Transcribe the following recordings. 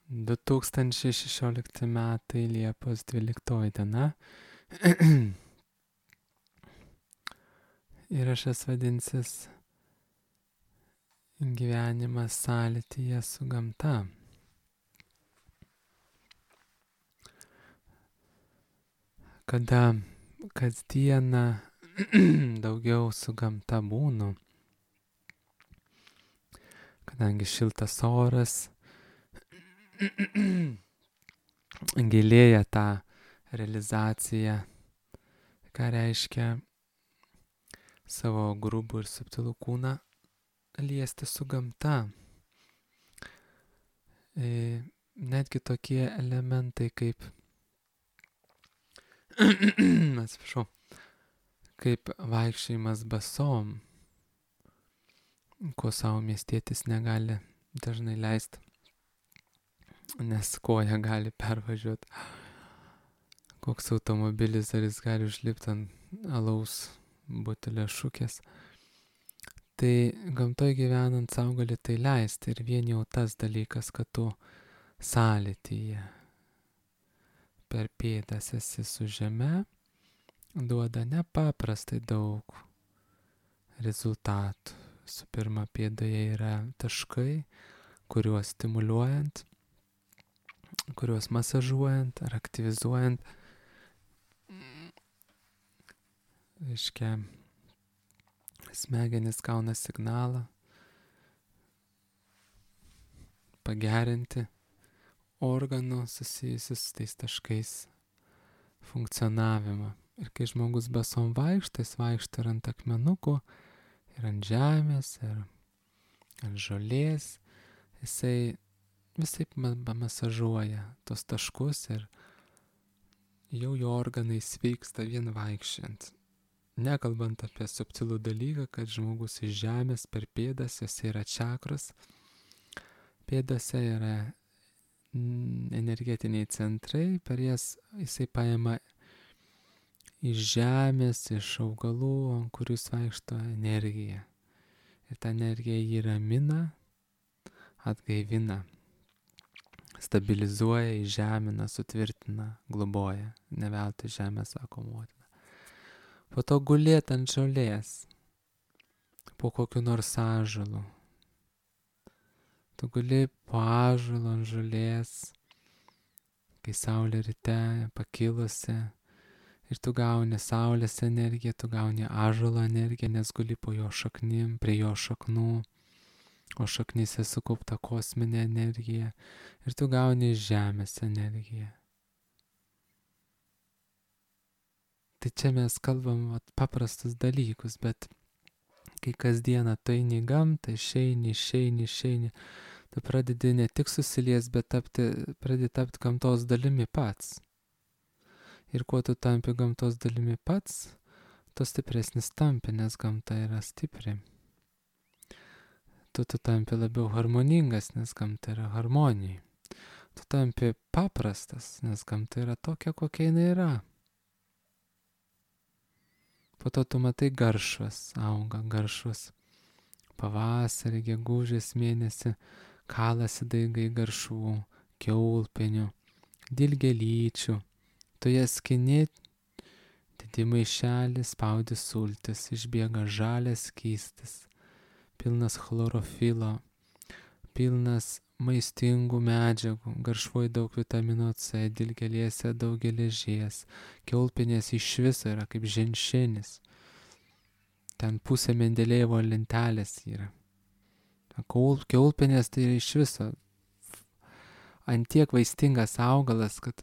2016 metai Liepos 12 diena. Įrašas vadinsis Gyvenimas sąlytyje su gamta. Kada kasdieną daugiau su gamta būnu, kadangi šiltas oras gilėja tą realizaciją, ką reiškia savo grubų ir subtilų kūną liesti su gamta. Netgi tokie elementai kaip kaip vaikščiojimas basom, ko savo miestietis negali dažnai leisti, nes koja gali pervažiuoti. Koks automobilis, ar jis gali užlipti ant alaus butelio šukės. Tai gamtoje gyvenant sau gali tai leisti, ir vien jau tas dalykas, kad tu sąlytyje per pėdas esi su žeme, duoda nepaprastai daug rezultatų. Su pirma, pėdoje yra taškai, kuriuos stimuliuojant, kuriuos masažuojant ar aktyvizuojant, reiškia, smegenys gauna signalą pagerinti organų susijusius su tais taškais funkcionavimą. Ir kai žmogus basom vaikšto, jis vaikšto ir ant akmenukų, ir ant žemės, ir ant žolės, jisai visaip masažuoja tos taškus ir jau jo organai sveiksta vien vaikščiant. Nekalbant apie subtilų dalyką, kad žmogus iš žemės per pėdas, jisai yra čakros, pėdose yra energetiniai centrai, per jas jisai paima iš žemės, iš augalų, ant kurių vaikšto energiją. Ir ta energija jį ramina, atgaivina, stabilizuoja, įžemina, sutvirtina, globoja. Ne veltui žemė sako motina. Po to gulėt ant žolės, po kokiu nors ąžuolu. Tu guli po ąžuolu ant žolės, kai saulė ryte pakilusi, ir tu gauni saulės energiją, tu gauni ąžuolo energiją, nes guli po jo šaknim, prie jo šaknų, o šaknyse sukaupta kosminė energija, ir tu gauni žemės energiją. Tai čia mes kalbam paprastus dalykus, bet kai kasdieną tu eini į gamtą, išeini, tu pradedi ne tik susilies, bet pradedi tapti gamtos dalimi pats. Ir kuo tu tampi gamtos dalimi pats, tu stipresnis tampi, nes gamta yra stipri. Tu tampi labiau harmoningas, nes gamta yra harmonija. Tu tampi paprastas, nes gamta yra tokia, kokia jinai yra. Po to tu matai garšvas, auga garšvas. Pavasarį, gegužės mėnesį kalasi daigai garšvų, kiaulpienių, dilgėlyčių. Tu jas skini, didi maišelį, spaudi sultis, išbėga žalias skystis, pilnas chlorofilo, pilnas maistingų medžiagų, garšvoj daug vitamino C, dilgėlėse daug geležies, kiaulpienės iš viso yra kaip ženšenis. Ten pusė Mendelėjevo lentelės yra. Kiaulpienės tai yra iš viso antiek vaistingas augalas, kad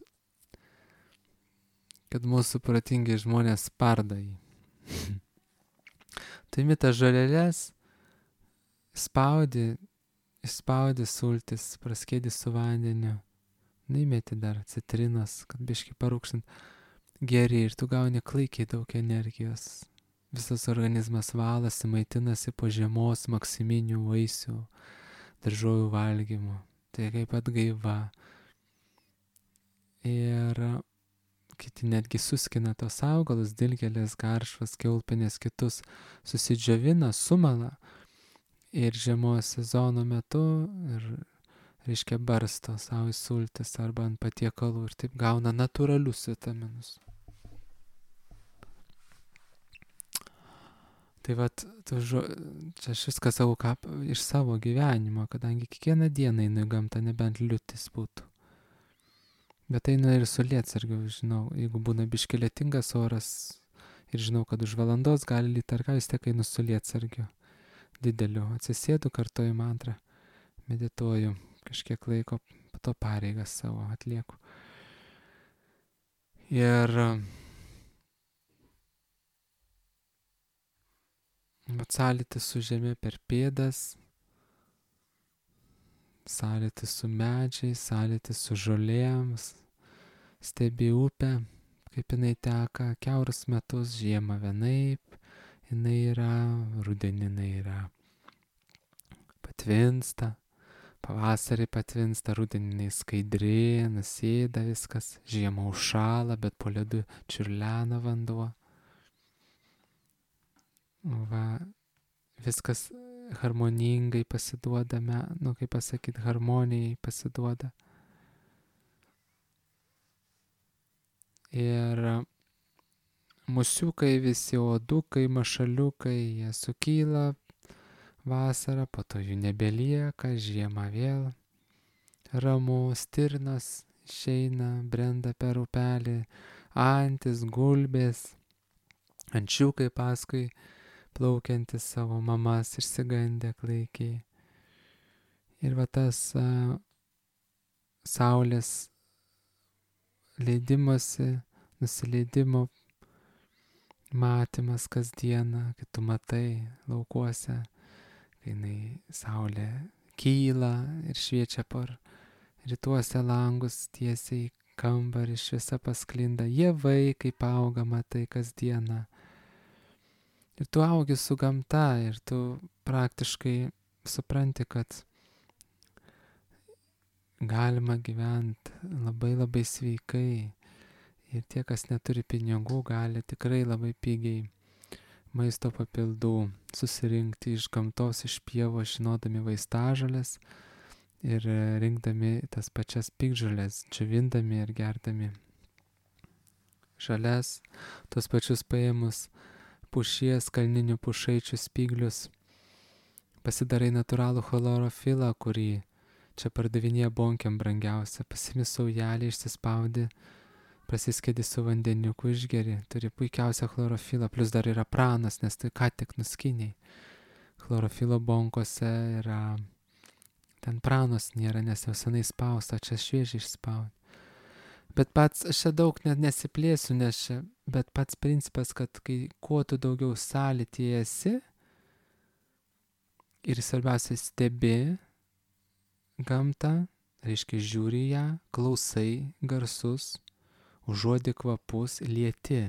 mūsų protingi žmonės spardo jį. Tai tas žolelės išspaudi sultis, praskėdi su vandeniu, įmeti dar citrinos, kad biškį parūkšint, geri, ir tu gauni klaikiai daug energijos. Visas organizmas valasi, maitinasi po žiemos maksiminių vaisių, daržovių valgymu. Tai kaip atgaiva. Ir kiti netgi suskina tos augalus, dilgėlės, garšvas, kiaulpienės, kitus, susidžiovina, sumala. Ir žiemos sezono metu, ir reiškia barsto savo į sultis arba ant patiekalų ir taip gauna natūralius vitaminus. Tai vat, čia aš viską savo iš savo gyvenimo, kadangi kiekvieną dieną einu į gamtą, nebent liūtis būtų. Bet einu ir su lietsargiu, žinau, jeigu būna biški lietingas oras ir žinau, kad už valandos gali lyt ar ką, vis tiek einu su lietsargiu dideliu. Atsisėdu, kartoju mantrą, medituoju kažkiek laiko, po to pareigas savo atlieku. Ir sąlytis su žemė per pėdas, sąlytis su medžiais, sąlytis su žolėms, stebi upę, kaip jinai teka, kiaurus metus, žiemą vienaip, jinai yra, rudenį jinai yra patvinsta, pavasarį patvinsta, rudenį jinai skaidri, nusėda viskas, žiemą užšąla, bet po ledu čiurlena vanduo. Va, viskas harmoningai pasiduodame, kaip pasakyti, harmonijai pasiduoda. Ir musiukai, visi uodukai, mašaliukai, jie sukyla vasarą, po to jų nebelieka, žiemą vėl ramu, stirnas išeina, brenda per upelį, antis, gulbės, ančiukai paskui plaukiantis savo mamas išsigandę klaikiai. Ir va tas saulės leidimosi, nusileidimo matymas kasdieną, kai tu matai laukuose, kai jinai saulė kyla ir šviečia per rytuose langus tiesiai kambarį, šviesa pasklinda, javai kaip auga, matai kasdieną. Ir tu augi su gamta ir tu praktiškai supranti, kad galima gyventi labai labai sveikai. Ir tie, kas neturi pinigų, gali tikrai labai pigiai maisto papildų susirinkti iš gamtos, iš pievos, žinodami vaistažolės ir rinkdami tas pačias piktžoles, džiovindami ir gerdami žalias, tos pačius paėmus pušies, kalninių pušaičių spyglius, pasidarai natūralų chlorofilą, kurį čia pardavinėja bonkiam brangiausia, pasimi saujelį, išsispaudi, prasiskedi su vandeniuku, išgeri, turi puikiausią chlorofilą, plus dar yra pranas, nes tai ką tik nuskiniai. Chlorofilo bonkose yra, ten pranos nėra, nes jau senai spausta, čia šviežiai išspaudi. Bet pats, aš čia daug net nesiplėsiu, nes čia, bet pats principas, kad kuo tu daugiau sąlytyje esi ir svarbiausia stebi gamtą, reiškia žiūri ją, klausai garsus, užuodi kvapus, lieti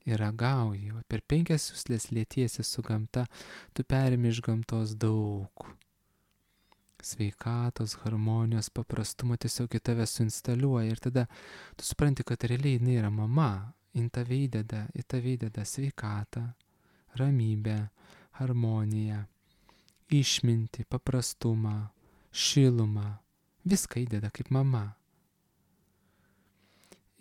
ir ragauji. Per 5 juslės lietiesi su gamta, tu perimi iš gamtos daug sveikatos, harmonijos, paprastumo, tiesiog į tave suinstaliuoja ir tada tu supranti, kad realiai jinai yra mama, į tave įdeda sveikatą, ramybę, harmoniją, išmintį, paprastumą, šilumą, viską įdeda kaip mama.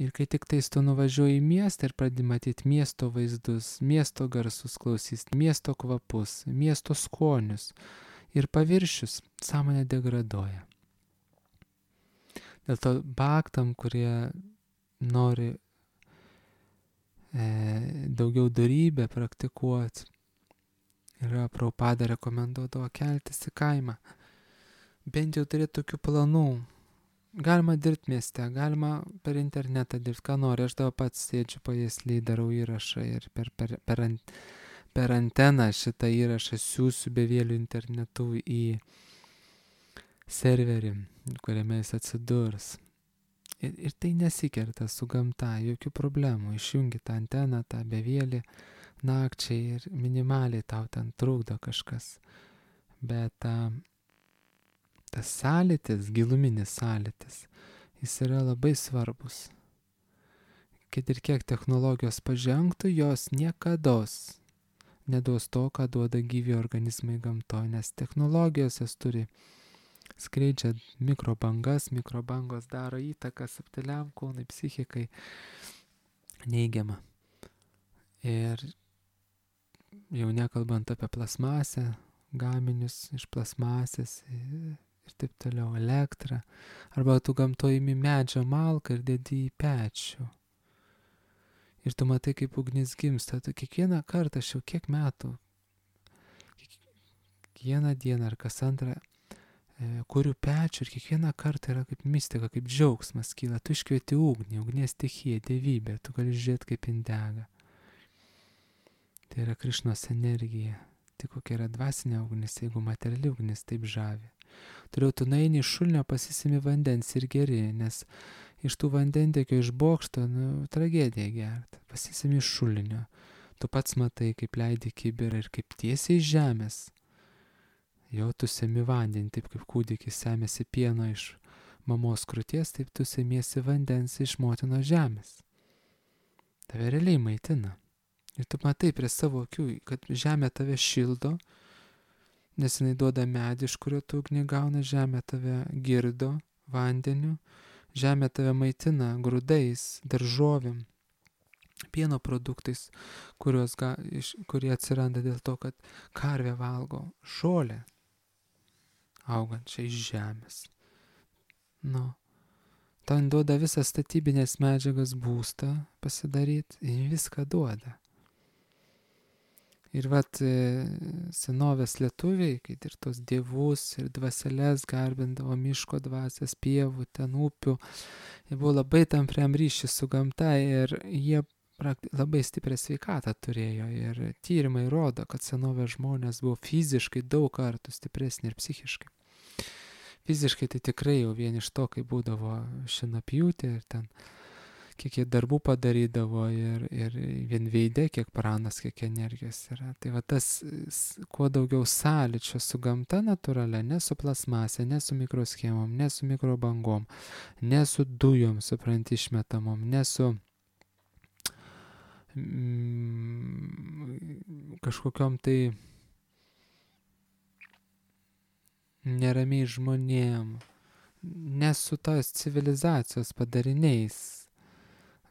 Ir kai tik tais tu nuvažiuoji į miestą ir pradedi matyti miesto vaizdus, miesto garsus klausys, miesto kvapus, miesto skonius, ir paviršius sąmonė degraduoja. Dėl to baktam, kurie nori daugiau dorybę praktikuoti, yra Prabhupada rekomenduodavo keltis į kaimą. Bent jau turėti tokių planų. Galima dirbti mieste, galima per internetą dirbti, ką nori. Aš dabar pats sėdžiu pajėsliai, darau įrašą ir per anteną šitą įrašą siūsiu bevėlių internetu į serverį, kuriame jis atsidurs. Ir tai nesikerta su gamta, jokių problemų. Išjungi tą anteną, tą bevėlį nakčiai ir minimaliai tau ten trukdo kažkas. Bet tas sąlytis, giluminis sąlytis, jis yra labai svarbus. Kad ir kiek technologijos pažengtų, jos niekados neduos to, ką duoda gyvi organizmai gamtoje, nes technologijos jas turi skleidžia mikrobangos daro įtaką subtiliam kūnui, psichikai neigiamą. Ir jau nekalbant apie plasmasę, gaminius iš plasmasės ir taip toliau, elektrą, arba tu gamtoje imi medžio malką ir dedi į pečių. Ir tu matai, kaip ugnis gimsta, tu kiekvieną kartą, aš jau kiek metų, kiekvieną dieną ar kas antrą, kuriu pečių ir kiekvieną kartą yra kaip mistika, kaip džiaugsmas kyla, tu iškvieti ugnį, ugnies stichija, dievybė, tu gali žiūrėti kaip jin dega. Tai yra Krišnos energija. Tai kokia yra dvasinė ugnis, jeigu materiali ugnis taip žavi. Toliau tu nueini iš šulinio, pasisimi vandens ir geri, nes iš tų vandentiekio iš bokšto, tragedija gerti. Pasisimi iš šulinio. Tu pats matai, kaip leidi kibirą ir kaip tiesiai iš žemės. Jau tu semi vandenį, taip kaip kūdikis semėsi pieno iš mamos krūties, taip tu semiesi vandens iš motinos žemės. Tave realiai maitina. Ir tu matai prie savo akių, kad žemė tave šildo, nes jinai duoda medį, iš kurio tu ugnį gauna, žemė tave girdo vandeniu, žemė tave maitina grūdais, daržovėm, pieno produktais, kurie atsiranda dėl to, kad karvė valgo žolę augančią iš žemės. Tau duoda visas statybinės medžiagas, būstą pasidaryti, ir viską duoda. Ir senovės lietuviai, kai ir tos dievus ir dvaseles garbindavo, miško dvasias, pievų, ten upių, jie buvo labai tampriam ryšį su gamta ir jie labai stiprią sveikatą turėjo. Ir tyrimai rodo, kad senovės žmonės buvo fiziškai daug kartų stipresni ir psichiškai. Fiziškai tai tikrai jau vien iš to, kai būdavo šienapjūtė ir ten kiek jie darbų padarydavo ir vien veide, kiek pranas, kiek energijos yra. Tai tas, kuo daugiau sąlyčio su gamta natūralia, ne su plasmasė, ne su mikroschemom, ne su mikrobangom, ne su dujom, supranti, išmetamom, ne su kažkokiom tai neramiai žmonėm, ne su tos civilizacijos padariniais,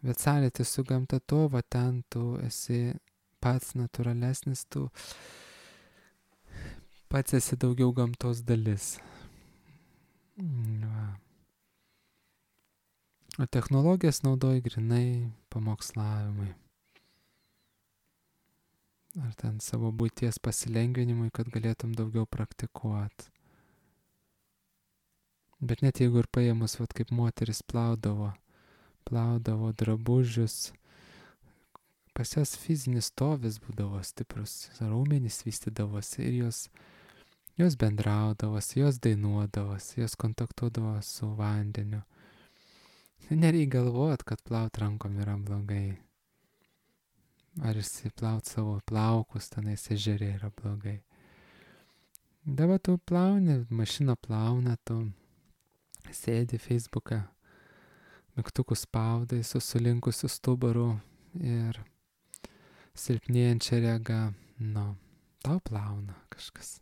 bet sąlytis su gamta, to, ten tu esi pats natūralesnis, tu pats esi daugiau gamtos dalis. O technologijas naudoji grinai pamokslavimui. Ar ten savo būties pasilengvinimui, kad galėtum daugiau praktikuoti. Bet net jeigu ir paėmus, kaip moteris plaudavo drabužius, pas jas fizinis stovis būdavo stiprus, raumenys vystydavosi ir jos bendraudavosi, jos dainuodavosi, jos kontaktuodavo su vandeniu. Nereikia galvoti, kad plaut rankom yra blogai. Ar išsiplaut savo plaukus tenais ežere yra blogai. Dabar tu plauni, mašina plauna, tu sėdi Facebooką, mygtukus spaudai su sulinkusiu stubaru ir silpnėjančia rega, tau plauna kažkas.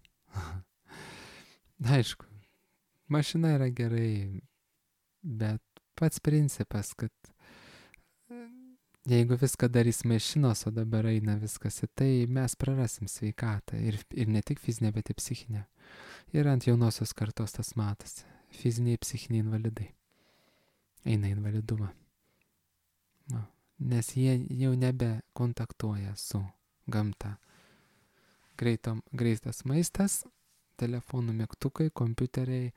Aišku, mašina yra gerai, bet pats principas, kad jeigu viską darys mašinos, o dabar eina viskas į tai, mes prarasim sveikatą ir ne tik fizinę, bet ir psichinę. Ir ant jaunosios kartos tas matosi. Fiziniai, psichiniai invalidai eina invalidumą. Nes jie jau nebe kontaktuoja su gamta. Greitas maistas, telefonų mygtukai, kompiuteriai,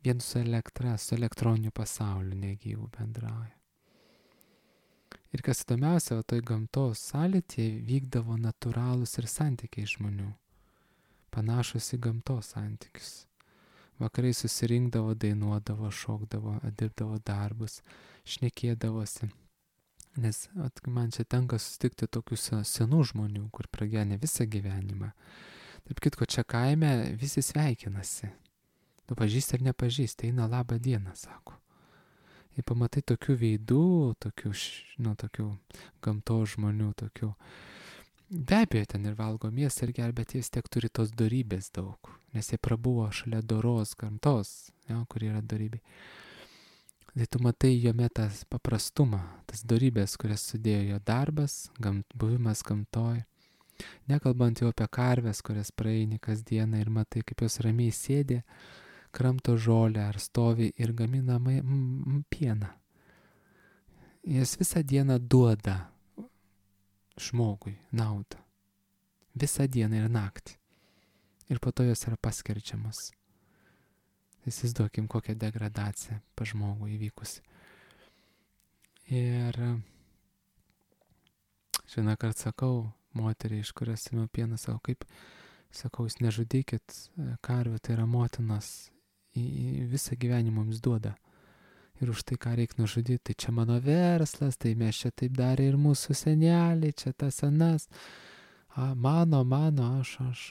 vien su elektra, su elektroniniu pasauliu negyvų bendrauja. Ir kas įdomiausia, toj gamtos sąlytyje vykdavo natūralūs ir santykiai žmonių, panašus į gamtos santykius. Vakarai susirinkdavo, dainuodavo, šokdavo, dirbdavo darbus, šnekėdavosi. Nes man čia tenka susitikti tokių senų žmonių, kur pragyvenę visą gyvenimą. Taip kitko, čia kaime visi sveikinasi. Tu pažįsti ar nepažįsti, eina labą dieną, sako. Ir pamatai tokių veidų, tokių gamtos žmonių, tokių Be abejo, ten ir valgo mėsą ir geria, bet jie vis tiek turi tos dorybės daug, nes jie prabuvo šalia doros gamtos, kur yra dorybė. Tai tu matai jome tas paprastumą, tas dorybės, kurias sudėjo jo darbas, buvimas gamtoj. Nekalbant jau apie karves, kurias praeini kasdieną ir matai, kaip jos ramiai sėdi, kramto žolę ar stovi ir gamina pieną. Jis visą dieną duoda žmogui naudą. Visą dieną ir naktį. Ir po to jos yra paskerdžiamas. Įsivaizduokim, kokią degradaciją pa žmogų įvykusi. Ir vieną kartą sakau moteriai, iš kurios ėmiau pieną, sakau, jūs nežudykit karvių, tai yra motinos, visą gyvenimą jums duoda. Ir už tai, ką reikia nužudyti, tai čia mano verslas, tai mes čia taip darė ir mūsų seneliai, čia tas anas. Mano, aš.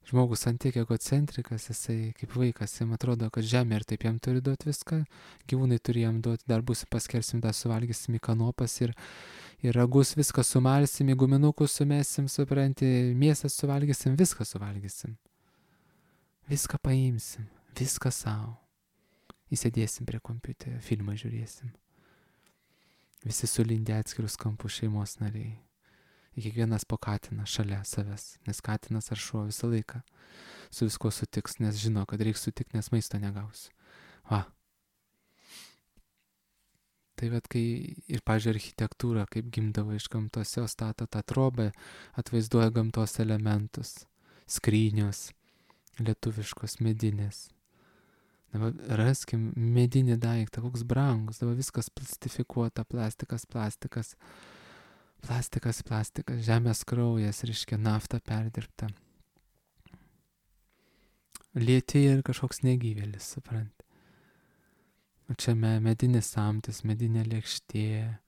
Žmogus ant tiek egocentrikas, jisai kaip vaikas, jam atrodo, kad žemė ir taip jam turi duoti viską, gyvūnai turi jam duoti, dar bus paskersim, dar suvalgysim į kanopas ir ragus, viską sumalsim, į guminukus sumesim, supranti, mėsą suvalgysim, viską suvalgysim. Viską paimsim, viską savo. Įsėdėsim prie kompiuterio, filmą žiūrėsim. Visi sulindę atskirus kampus šeimos nariai. Ir kiekvienas po katiną šalia savęs, nes katinas ar šuo visą laiką su visko sutiks, nes žino, kad reikia sutikti, nes maisto negausiu. Tai kai ir, pavyzdžiui, architektūra, kaip gimdavo iš gamtos, jau stato tą trobą, atvaizduoja gamtos elementus, skrynios, lietuviškos, medinės. Dabar raskim medinį daiktą, koks brangus, dabar viskas plastifikuota, plastikas, žemės kraujas, reiškia nafta perdirbta. Lieti ir kažkoks negyvėlis, supranti. O čia medinis samtis, medinė lėkštė,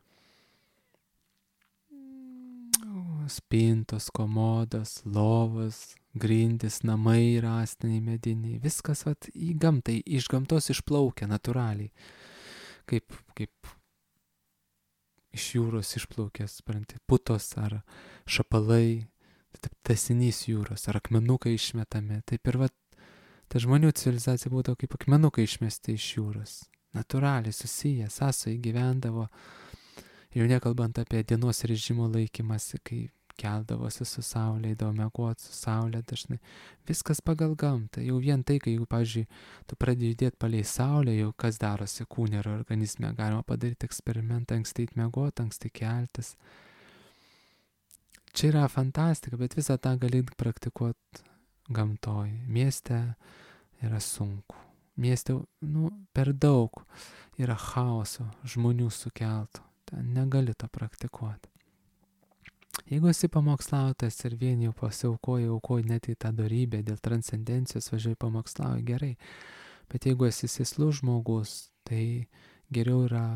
spintos, komodos, lovos, grindys, namai rąstiniai, mediniai. Viskas į gamtą, iš gamtos išplaukia natūraliai. Kaip iš jūros išplaukęs, supranti, putos ar šapalai, tęsinys jūros, ar akmenukai išmetami. Taip ir ta žmonių civilizacija būdavo kaip akmenukai išmesti iš jūros. Natūraliai susiję, sąsojai gyvendavo. Jau nekalbant apie dienos režimo laikymasi, kai keldavosi su saulė, eidavo miegoti su saulė dažnai. Viskas pagal gamtą. Jau vien tai, kai, pavyzdžiui, tu pradedi judėti palei saulę, jau kas darosi kūne ir organizme, galima padaryti eksperimentą, anksti miegoti, anksti keltis. Čia yra fantastika, bet visą tą gali praktikuoti gamtoj. Mieste yra sunku. Mieste, per daug yra chaoso, žmonių sukeltų. Ten negali to praktikuoti. Jeigu esi pamokslautas ir vieni jau pasiaukoji net į tą dorybę dėl transcendencijos, važiuoji pamokslauji, gerai. Bet jeigu esi sėslus žmogus, tai geriau yra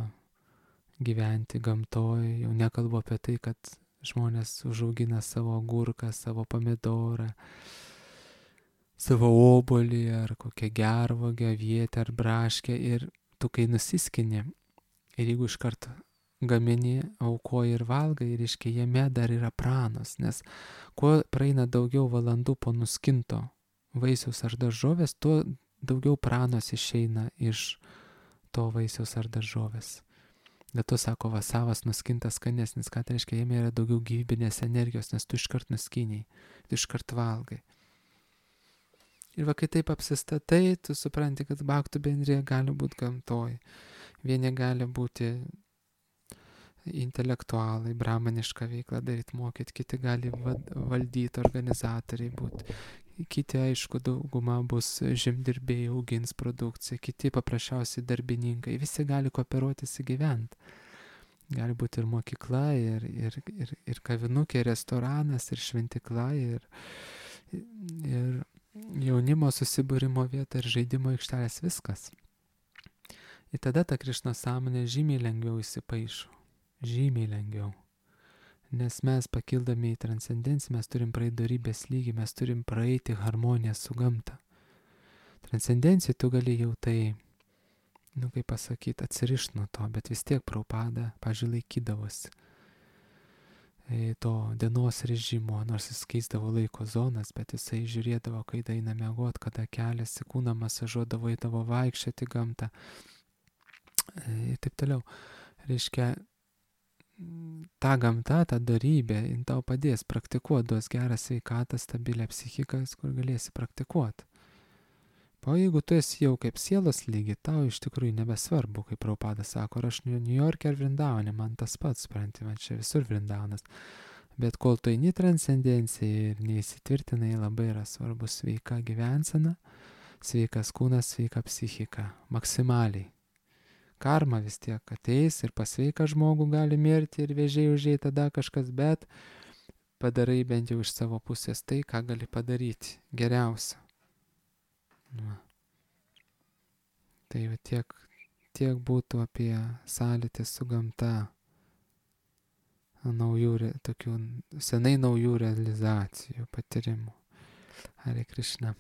gyventi gamtoj. Jau nekalbu apie tai, kad žmonės užaugina savo agurką, savo pomidorą, savo obuolį ar kokią gervuogę, avietę ar braškę. Ir tu, kai nusiskini, ir jeigu iš karto gamini, aukoji ir valgai, reiškia, jame dar yra pranos, nes kuo praeina daugiau valandų po nuskinto vaisiaus ar daržovės, tuo daugiau pranos išeina iš to vaisiaus ar daržovės. Bet tu sako, savas nuskintas skanesnis, ką tai reiškia, jame yra daugiau gyvybinės energijos, nes tu iškart nuskiniai, tu iškart valgai. Ir kai taip apsistatai, tu supranti, kad bhaktų bendrija gali būti gamtoj. Vieni gali būti intelektualai, brahmanišką veiklą daryti, mokyti, kiti gali valdyti, organizatoriai būti, kiti, aišku, dauguma bus žemdirbiai, augins produkciją, kiti paprasčiausiai darbininkai, visi gali kooperuotis įgyventi. Gali būti ir mokykla, ir kavinukė, ir restoranas, ir šventikla, ir jaunimo susibūrimo vieta, ir žaidimo aikštelės, viskas. Ir tada ta Krišna sąmonė žymiai lengviau įsipaišo. Žymiai lengviau. Nes mes pakildami į transcendenciją, mes turim praeiti dorybės lygį, mes turim praeiti harmoniją su gamta. Transcendencijai tu gali jau tai, kaip pasakyti, atsirišti nuo to, bet vis tiek Prabhupada, pavyzdžiui, laikydavosi. to dienos režimo, nors jis keisdavo laiko zonas, bet jisai žiūrėdavo, kada eina miegot, kada keliasi, kūną masažuodavo, eidavo vaikščioti gamtą ir taip toliau. Reiškia, ta gamta, ta darybė, jin tau padės praktikuoti, duos gerą sveikatą, stabilią psichiką, kur galėsi praktikuoti. O jeigu tu esi jau kaip sielos lygi, tau iš tikrųjų nebesvarbu, kaip Prabhupada sako, aš New York'e ar Vrindavane, man tas pats, supranti, man čia visur Vrindavanas. Bet kol tu eini transcendencijai ir neįsitvirtinai, labai yra svarbu sveika gyvensena, sveikas kūnas, sveika psichika, maksimaliai. Karma vis tiek ateis ir pas sveiką žmogų gali mirti ir vėžiai užėjai tada kažkas, bet padarai bent jau iš savo pusės tai, ką gali padaryti geriausia. Tai tiek būtų apie sąlytį su gamta, tokių senai naujų realizacijų, patyrimų. Hare Krishna.